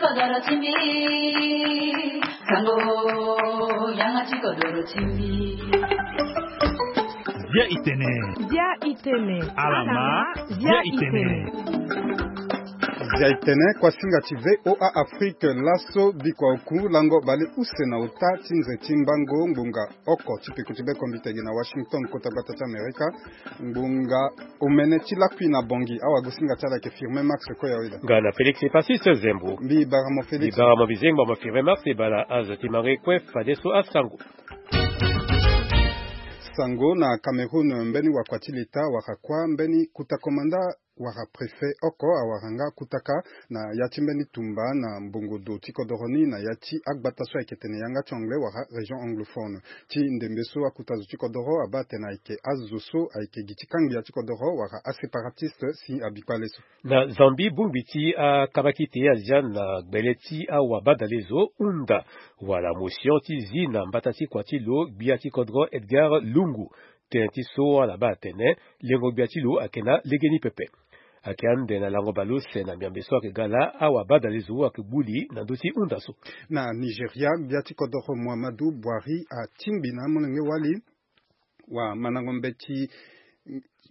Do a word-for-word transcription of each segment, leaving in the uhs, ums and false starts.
Dia itene. Dia itene. Alama. Dia itene. Dia itene, kuasinga ti V O A Afrique, laso bikua oku lango bale use na uta ti nze ti mbango ngbonga oko ti peko ti be kombitege na Washington, kota gbata ti Amerika. Ngbonga omene ti lakui na Bongi, awagosinga ti ala ayeke Firmin Max Koyaweda. Nga na Félix Passis Zembo. Mbi bara mo Félix. Mbi bara mo bizengba mo Firmin Max, e bara azo ti mango ye kue fadeso asango. Sango na Cameroun, mbeni wakua ti leta wara kuâ mbeni kuta komanda wara préfet oko awara nga kuta kâ na ya ti mbeni tumba na mbongo do ti kodoro ni na ya ti agbata so ayeke tene yanga ti anglais wara région anglophone. Ti ndembe so akuta zo ti kodoro abaa atene ayeke azo so ayeke gi ti kangbia ti kodoro wara aséparatistes si abi kpale so. Na Zambie, bongbi ti akabakite azia na gbele ti awabadalezo hunda wala motion ti zi na mbata ti kua ti lo gbia ti kodro Edgar Lungu. Tënë ti so ala baa atene lengo gbia ti lo ayeke na legeni pepe. Ayeke ande na lango bale use na miambe so ayeke ga laa awabadalezo ayeke gbu li na ndö ti hunda so. Na Nigeria, gbia ti kodoro Muhammadu Buhari atingbi na amolenge wali wa mandango mbeti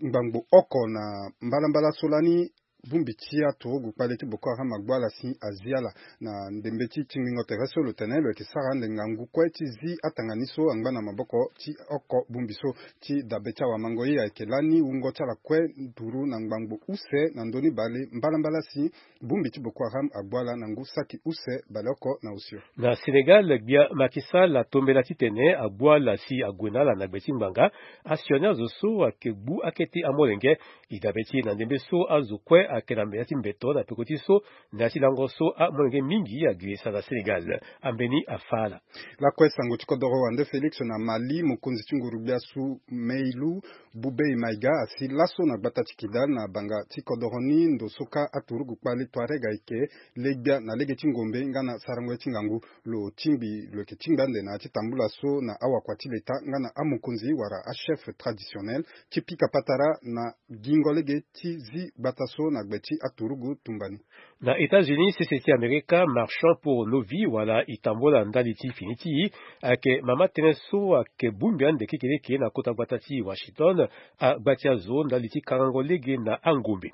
ngbangbo oko na mbalambala so lani bongbi ti aturugu kpale ti Boko Haram agbu ala si azi ala. Na ndembe ti tingbingo tere so lo tene lo yeke sara ande ngangu kue ti zi atanga ni so angba na maboko ti oko bongbi so. Ti dabe ti awamango ye ayeke lani wungo ti ala kue nduru na ngbangbo use na ndö ni bale mbalambala si bongbi ti Boko Haram agbu ala na ngu saki use baleoko na osio. Na Sénégal, gbia Macky Sall atombela titene agbu ala si ague na ala na gbe ti ngbanga asioni azo so ayeke gbu akete amolenge. E dabe ti e na ndembe so azo kue ayeke na ya ti mbeto na peko ti so na ya ti lango so amolenge mingi agi sara Sénégal. Ambeni afa ala. Lakue sango ti kodoro wande Félix na Mali, mokonzi ti nguru-gbia Soumeilou Boubèye Maïga asi laso na gbata ti Kidal na banga ti kodoro ni ndo so kâ aturugu kpale Touareg ayeke legbia na lege ti ngombe nga na sarango ye ti ngangu. Lo tingbi lo yeke tingbi ande na ya ti tambula so na awakua ti leta nga na amokonzi wala achef traditionnel ti pika patara na gingo lege ti zi gbata so na gbe ti aturugu tumba ni. Na États-Unis, sese ti Amerika, Marchons pour nos vies wala E tambula ndali ti fini ti e ayeke mama tënë so ayeke bongbi ande kekereke na kota gbata ti Washington. Agba ti azo ndali ti karango lege na angombe.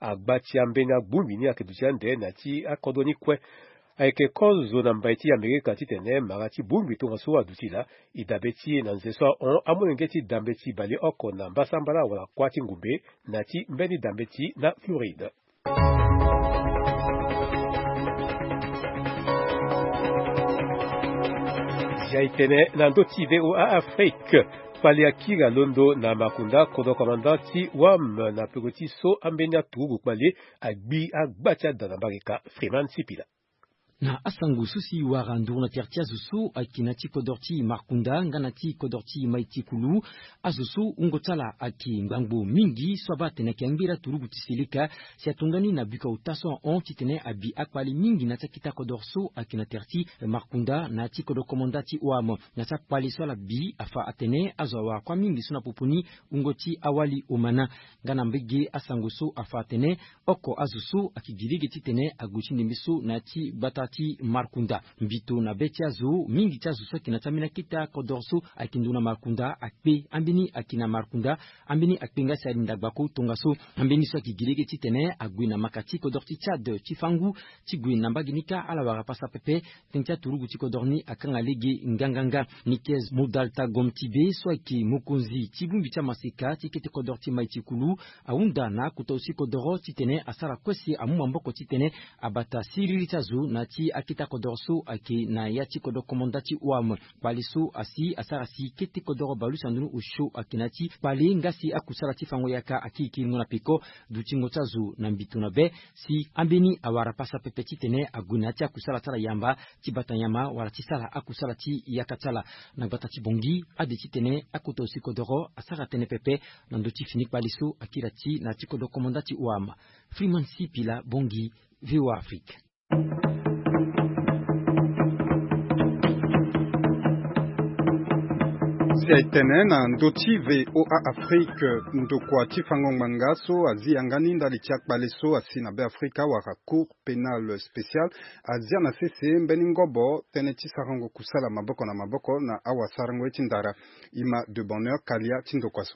Agba ti ambeni abongbi ni ayeke duti ande na ya ti akodro ni kue. Ayeke kozo na mbai ti Amerika titene mara ti bongbi tongaso aduti laa. E dabe ti e na nze so ahon amolenge ti dambe ti baleoko na mbasambala wala kuâ ti ngombe na ya ti mbeni dambe ti na Floride. Zia e tene na ndö ti V O A Afrique. Kpale akiri alondo na makunda kodro komanda ti wam na peko ti so ambeni aturugu kpale agbi agba ti ada na mbarika. Freeman Sipila. Na asango so si wara nduru na tere ti azo so ayeke na ti kodro ti Markunda nga na ti kodro ti Maitikulu, azo so wungo ti ala ayeke ngbangbo mingi so abaa atene ayeke angberi aturugu ti seleka, si atongani na bika ota so ahon titene abi akpale mingi na ti akita kodro so ayeke na tere ti Markunda na ya ti kodro komanda ti wam. Na ya ti akpale so ala bi afa atene azo awara kuâ mingi so na popo ni wungo ti awali omana. Nga na mbege asango so afa atene oko azo so ayeke gi lege titene ague ti ndembe so na ya ti gbata ti Markunda. Mbito na be ti azo, mingi ti azo so ayeke na ti ambeni akita kodoro so ayeke ndo na Markunda akpe. Ambeni ayeke na Markunda, ambeni akpe nga si ali ndagba ko tongaso. Ambeni so ayeke gi lege titene ague na maka ti kodoro ti Tchad ti fangu ti gue na mbage ni kâ ala wara pasa pepe. Tënë ti aturugu ti kodoro ni akanga lege nganganga. Nikez Modalta Gom Tibe so ayeke mokonzi ti bongbi ti amaseka ti kete kodoro ti Maitikulu ahunda na akota osi kodoro titene asara kue si amu maboko titene abata siriri ti azo na ya ti akita kodoro so ayeke na ya ti kodoro komanda ti wam. Kpale so asi asara si kete kodoro baleuse na ndoni osio ayeke na ya ti kpale nga si akusala ti fango yaka akiri kiringo na peko. Dutingo ti azo na mbito na be si ambeni awara pasa pepe titene ague na ya ti akusala ti ala yamba ti bata nyama wala ti sara akusala ti yaka ti ala. Na gbata ti Bongi, ade titene akota osi kodoro asara tënë pepe na ndö ti fini kpale so akiri ati na ya ti kodoro komanda ti wam. Freeman Sipila, Bongi, V O A Afrique. Ti aye tene na ndö ti VOA Afrique, ndokua ti fango ngbanga so azi yanga ni ndali ti akpale so asi na Be Afrika wala Cour pénale spéciale azia na sese mbeni ngobo tënë ti sarango kusala maboko na maboko na awasarango ye ti ndara. Ima de Bonheur Kalia ti ndokua so.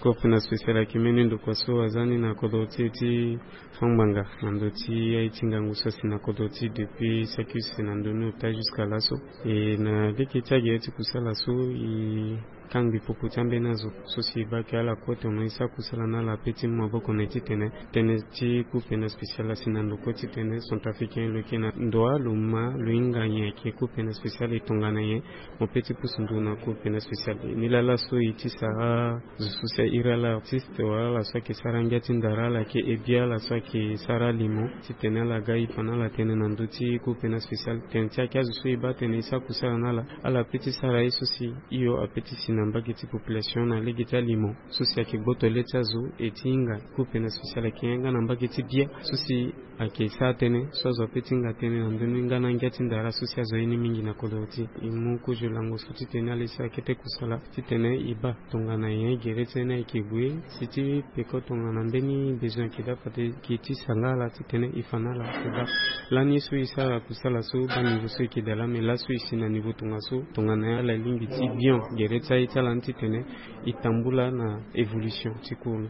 Cour pénale spéciale ayeke mbeni ndokua so aza ni na kodro ti e ti fango ngbanga na ndö ti aye ti ngangu so asi na kodro ti e depuis saki use na ndö ni ota jusqu'à laso. E na lege ti agere ti kusala so e kangbi popo ti ambeni azo so si e baa ke ala kue tono e sara kusala na ala ape ti mu maboko na e titene tënë ti Cour pénale spéciale asi na ndo kue titene centrafricain lo yeke na ndo wa lo ma lo hinga nyen ayeke Cour pénale spéciale e tongana nyen. Mo pe ti pusu nduru na Cour pénale spéciale ni laa laso e ti sara zo so si a iri ala artiste wala ala so ayeke sara ngia ti ndara, ala yeke hebia, ala so ayeke sara limo titene ala ga e fa na ala tënë na ndö ti Cour pénale spéciale. Tënë ti ayeke azo so e baa tene e sara kusala na ala, ala pe ti sara ye so si hio ape ti si na mbage ti population na lege ti alimo so si ayeke gboto le ti azo. E ti hinga Cour pénale spéciale ayeke yanga na mbage ti bia so si ayeke sara tënë so azo ape ti hinga tënë na ndö ni nga na ngia ti ndara so si azo ye ni mingi na kodro ti e. E mu kozo lango so titene ala ye sara kete kusala titene e baa tongana nyen gere ti e ni ayeke gue si ti peko tongana mbeni besoin ayeke daa fade e ke ti sanga ala titene e fa na ala. Ayeke baa lani so e sara kusala so baa niveau so e yeke daa laa, me laso e si na niveau tongaso tongana nyen ala lingbi ti bion gere ti aye ti ala ni titene e tambula na évolution ti cour ni.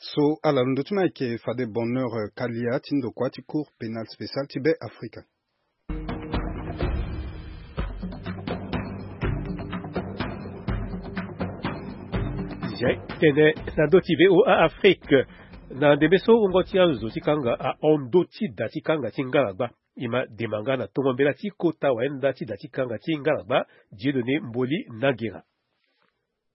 So ala londo ti ma ayeke fade Bonheur Kalia ti ndokua ti Cour pénale spéciale ti Be Afrika. Zia e tene na ndö ti VOA Afrique. Na ndembe so wungo ti azo ti kanga ahon ndö ti da ti kanga ti ngaragba. E ma dema nga na tongo mbela ti kota wayenda ti da ti kanga ti ngaragba, Dieudonné Mboli Nagera.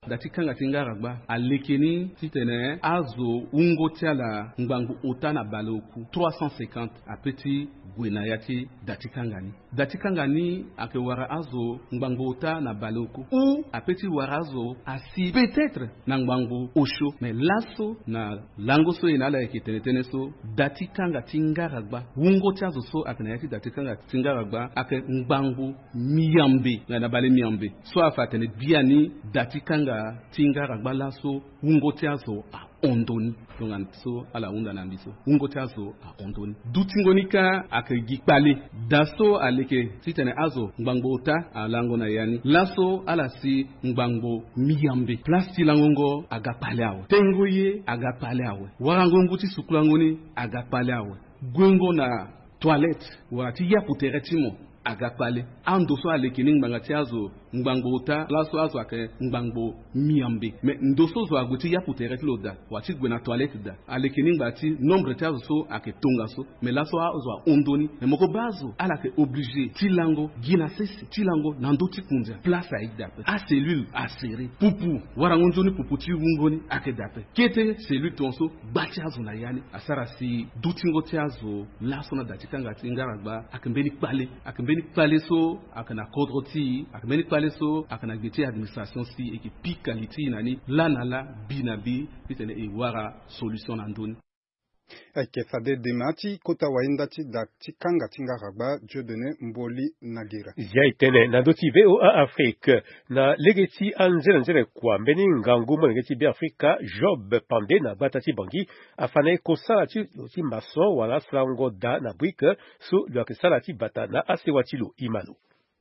Da ti kanga ti ngaragba aleke ni titene azo wungo ti ala ngbangbo ota na baleoku trois cent cinquante ape ti gue na ya ti da ti kanga ni. Da ti kanga ni ayeke wara azo ngbangbo ota na baleoku ou ape ti wara azo asi peut-être na ngbangbo osio. Mais laso na lango so e na ala yeke tene tënë so, da ti kanga ti ngaragba, wungo ti azo so ayeke na ya ti da ti kanga ti ngaragba ayeke ngbangbo miambe, na bale miambe. So afa atene biani da ti kanga ti ngaragba laso wungo ti azo ahon ndoni. Tongana so ala hunda na mbi so, wungo ti azo ahon ndoni. Dutingo ni kâ ayeke gi kpale. Da so aleke titene azo ngbangbo ota alango na ya ni, laso ala si ngbangbo miambe. Place ti langongo aga kpale awe. Tengo ye aga kpale awe. Warango ngu ti sukulango ni aga kpale awe. Guengo na toilette wala ti yapu tere ti mo aga kpale. Ando so aleke ni ngbanga ti azo ngbangbo ota, laso azo ayeke ngbangbo miambe. Mais ndo so zo ague ti yapu tere ti lo daa wala ti gue na toilette daa, aleke ni ngbanga ti nombre ti azo so ayeke tongaso. Mais laso azo ahon ndoni. Mais mo ko baa azo ala yeke obligé ti lango gi na sese, ti lango na ndö ti kundia. Place ayeke daa ape. Acellule asere. Pupu, warango nzoni pupu ti wungo ni ayeke daa ape. Kete cellule tongaso gba ti azo na ya ni asara si dutingo ti azo laso na da ti kanga ti ngaragba ayeke mbeni kpale. Ayeke mbeni kpale so ayeke na kodro ti e, ayeke mbeni kpale so ayeke na gbe ti administration si e yeke pika li ti e na ni laa na laa, bi na bi, titene e wara solution na ndö ni. Ayeke fade dema ti kota wayenda ti da ti kanga ti ngaragba Dieudonné Mboli Nagera. Zia e tene na ndö ti VOA Afrique. Na lege ti anzenanzene kua mbeni ngangu molenge ti Be Afrika Job Pande na gbata ti Bangui afa na e kosala ti lo ti maçon wala sarango da na brique so lo yeke sara ti bata na asewa ti lo. Ima lo.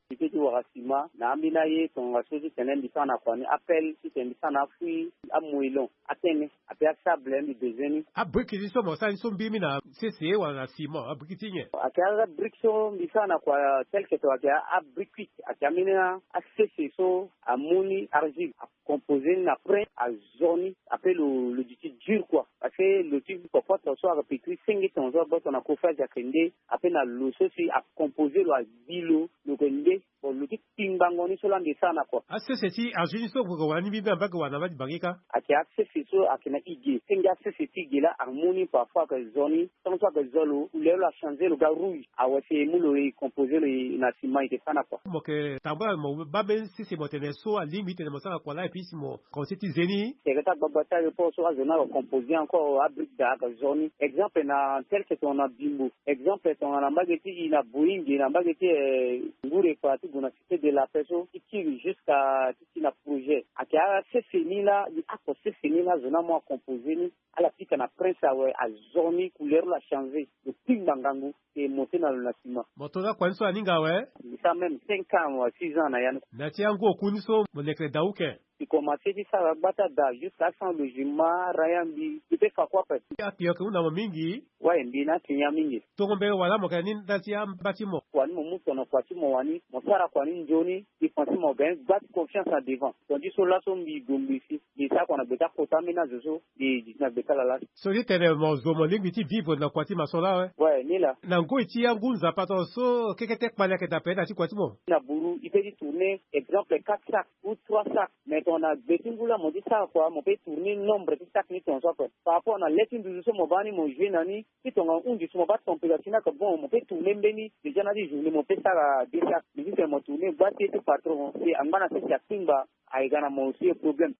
Mbi pe ti wara sima na ambeni aye tongaso titene mbi sara na kua ni apel titene mbi sara na afui, amoellon, atene ape asable mbi bezoin ni. Abriki ti so mo sara ni so mbiri mi na sese wala na sima, abriki ti nyen? Ayeke abriki so mbi sara na kua tel que ton ayeke abriki kuit, ayeke ambeni asese so amu ni argile, akompose ni na prin, azo ni, ape lo lo duti dur kua. Parce que lo ti kopoto so ayeke pekiri senge ton so agboto na kofage ayeke nde, ape na lo so si akompose lo, agbi lo, lo yeke nde. Bon, lo ti kpingbango ni so laa mbi sara na kua. Asese ti azo ni so mo yeke wara ni mbiri na mbage wala na mbage ti bange kâ? Ayeke asese so ayeke na ige, senge asese ti ige laa amu ni parfois ayeke zo ni. Tant so ayeke zo lo, couleur lo achange, lo ga rouge. Awe si e mu lo e composer lo na ciment e yeke sara na kua. Mo yeke tambula mo baa mbeni sese mo tene so alingbi titene mo sara na kua laa et puis si mo commencer ti ze ni. Tere ti agbagba ti aéroport so azo ni ayeke composer encore abrique daa ayeke zo ni. Exemple na tel que tongana Bimbo. Exemple tongana mbage ti e na Boeing na mbage ti, eh, Ngure kua ti Ndo na cité de la paix so ti kiri jusqu'à ti ti na projet ayeke asese ni laa. Oko sese ni laa zo ni amu acompose ni. Ala pika na prince awe, azo ni couleur lo achange. Lo kpingba ngangu. E monte na lo na sima. Mo to na kua ni so aninga awe. Mbi sara même cinq ans wa six ans na ya ni. Na ti angu oku ni so mo lekere da uke. Mbi commence ti sara gbata da jusqu'à sans logement, rien. Mbi mbi pe fa kue ape. Apio yeke hunda mo mingi. Waye mbi na atingia mingi. Tongo mbele wala mo yeke na ni ndali ti amba ti mo? Wani mo mu tono kua ti mo wani, mo sara kua ni nzoni. Mbi pense mo gagne gba ti confiance na devant. Tandis so laso mbi gue ngbii si. Mbi sara kua na gbe ti akota ambeni azo so. Mbi di ti na gbe ti ala lasi. So ti tene mo zo mo lingbi ti vivre na kua ti maçon laa awe? Ouais, ni laa. Na ngoi ti angu nzapa tongaso kekete kpale ayeke daa ape na ti kua ti mo? Na buru i pe ti tourner exemple quatre sacs ou trois sacs. Mais tongana gbe ti ngu laa mo ti sara kua, mo pe tourner nombre ti sacs ni tongaso ape. Par rapport na le ti nduzu so mo baa ni mo jouer na ni, ti tongana hundi so mo baa température ni ayeke bon, mo pe tourner mbeni. Déjà na ti journée mo pe sara deux sacs. Mais si tene mo tourner gba ti ye ti patron si angba na sese akpingba, ayeke ga na mo aussi problème.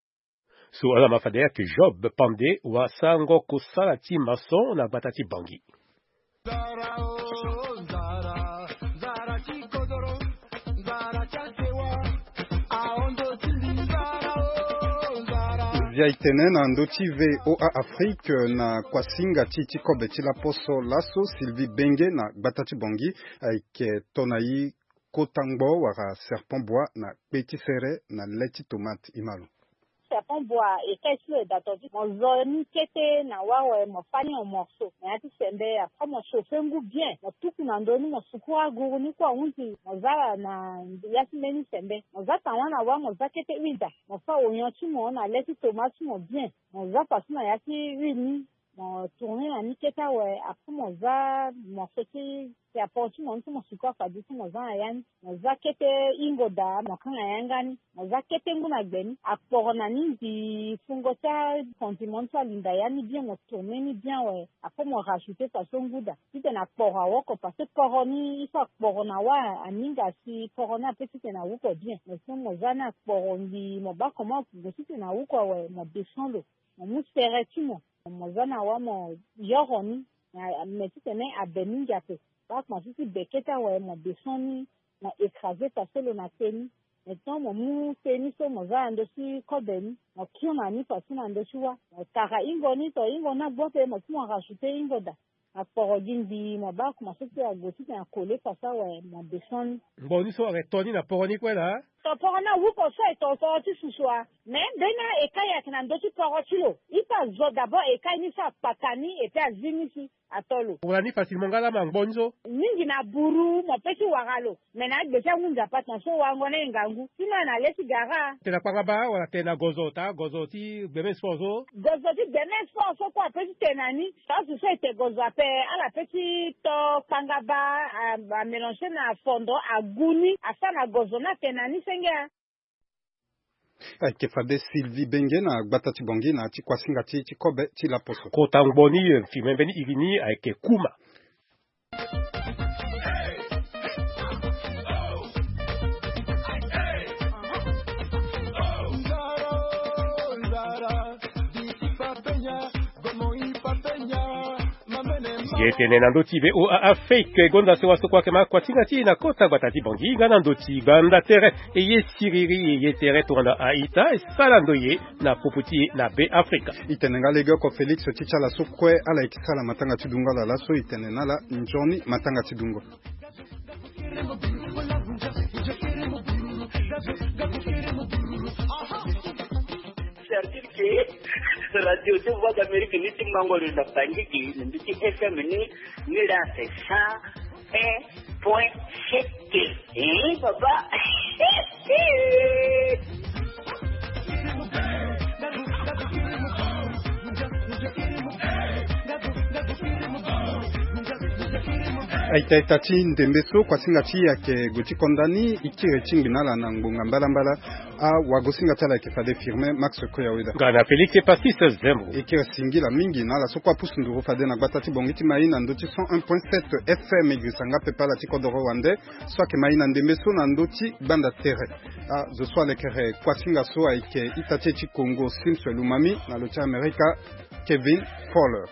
So ala ma fade ayeke Job Pande, wasango kosala ti maçon na gbata ti Bangui. Zia e tene na ndö ti V O A Afrique na kuasinga ti ti kobe ti laposo laso, Sylvie Benge na gbata ti Bangui ayeke to na e kota ngbo wala serpent bois na kpe ti sere na le ti tomate. Imalo. Serpent bois, e kai ti lo e da to ti mo zo ni kete na wâ awe, mo fâ ni en morceau na ya ti sembe. Après mo chauffer ngu bien, mo tuku na ndö ni, mo sukuru aguru ni kue ahunzi, mo za na ya ti mbeni sembe. Mo za tawâ na wâ, mo za kete huile da, mo fâ oignon ti mo na le ti tomate ti mo bien. Mo za façon na ya ti huile ni. Mo tourner na ni kete awe, après mo za morceau ti serpent ti mo ni so mo sukuru afade so mo za na ya ni. Mo za kete hingo da, mo kanga yanga ni. Mo za kete ngu na gbe ni, akporo na ni mbi fungo ti acondiment ni so alinda ya ni bien, mo tourner ni bien awe. Après mo rajouter façon ngu da. Titene akporo awoko, parce que poro ni il faut akporo na wâ aninga si poro ni ape titene awuko bien. Mais so mo za ni akporo mbi, mo baa comment mo titene awuko awe, mo descend lo. Mo mu sere ti mo, mo za na wâ mo yoro ni. Mais titene abe mingi ape, baa komanse ti be kete awe, mo descend ni, mo écraser façon lo na te ni. Maintenant mo mu te ni so mo za na ndö ti kobe ni, mo kiri na ni façon na ndö ti wâ. Mo tara hingo ni, to hingo ni agbu ape, mo ti mo rajouter hingo da. Akporo gi mbi, mo baa komanse ti ague titene akole façon awe, mo descend ni. Ngbo ni so ayeke to ni na poro ni kue laa? To poro ni awuko so aye to poro ti susu a. Mais mbeni aekai ayeke na ndö ti poro ti lo. I pe azo d'abord aekai ni so akpaka ni, et puis azi ni si ato lo. Wala ni facilement nga laa ma ngbo ni so? Mingi na buru mo pe ti wara lo. Mais na agbe ti angu nzapa tongaso warango ni aye ngangu. Sinon na le ti gara. Tene na kpangaba wala tene na gozo, ta gozo ti gbeme sport so? Gozo ti gbeme sport so kue ape ti tene na ni. Tongaso so e te gozo ape, ala pe ti to kpangaba, a, amélanger na fondo, agu ni, asara na gozo ni atene na ni senge a. Ayeke fade Sylvie Benge na gbata ti Bangui na ti kuasinga ti ti kobe ti laposo. Kota ngbo ni, eh, mfime mbeni iri ni ayeke kuma. Ye tene na ndö ti V O A Afrique, e gonda sewa so kue ayeke ma kuasinga ti e na kota gbata ti Bangui, nga na ndö ti gbanda tere, e ye siriri, e ye tere tongana a-ita, e sara ndoye na popo ti e na Be Afrika. E tene nga lege oko Félix ti ti ala so kue ala yeke sara matanga ti dungo ala laso, e tene na ala nzoni matanga ti dungo. C'est-à-dire que radio ti Voix d'Amérique ni ti mango lo na Bangui gi na mbi ti F M ni, ni la c'est cent un point sept. Eh, papa. Aita ita ti ndembe so kuasinga ti e ayeke gue ti konda ni, e kiri ti ngbi na ala na ngbonga mbalambala. Awagosinga ti ala ayeke fade Firmin Max Koyaweda. Nga na Félix Pastis Zembo. E kiri singila mingi na ala so kue apusu nduru fade na gbata ti Bangui ti mai na ndö ti cent un point sept F M. E girisa nga pepe ala ti kodoro wande so ayeke mai na ndembe so na ndö ti gbanda tere. Azo so alekere kuasinga so ayeke ita ti e ti Congo, Sims Lumami, na lo ti Amerika, Kevin Fowler.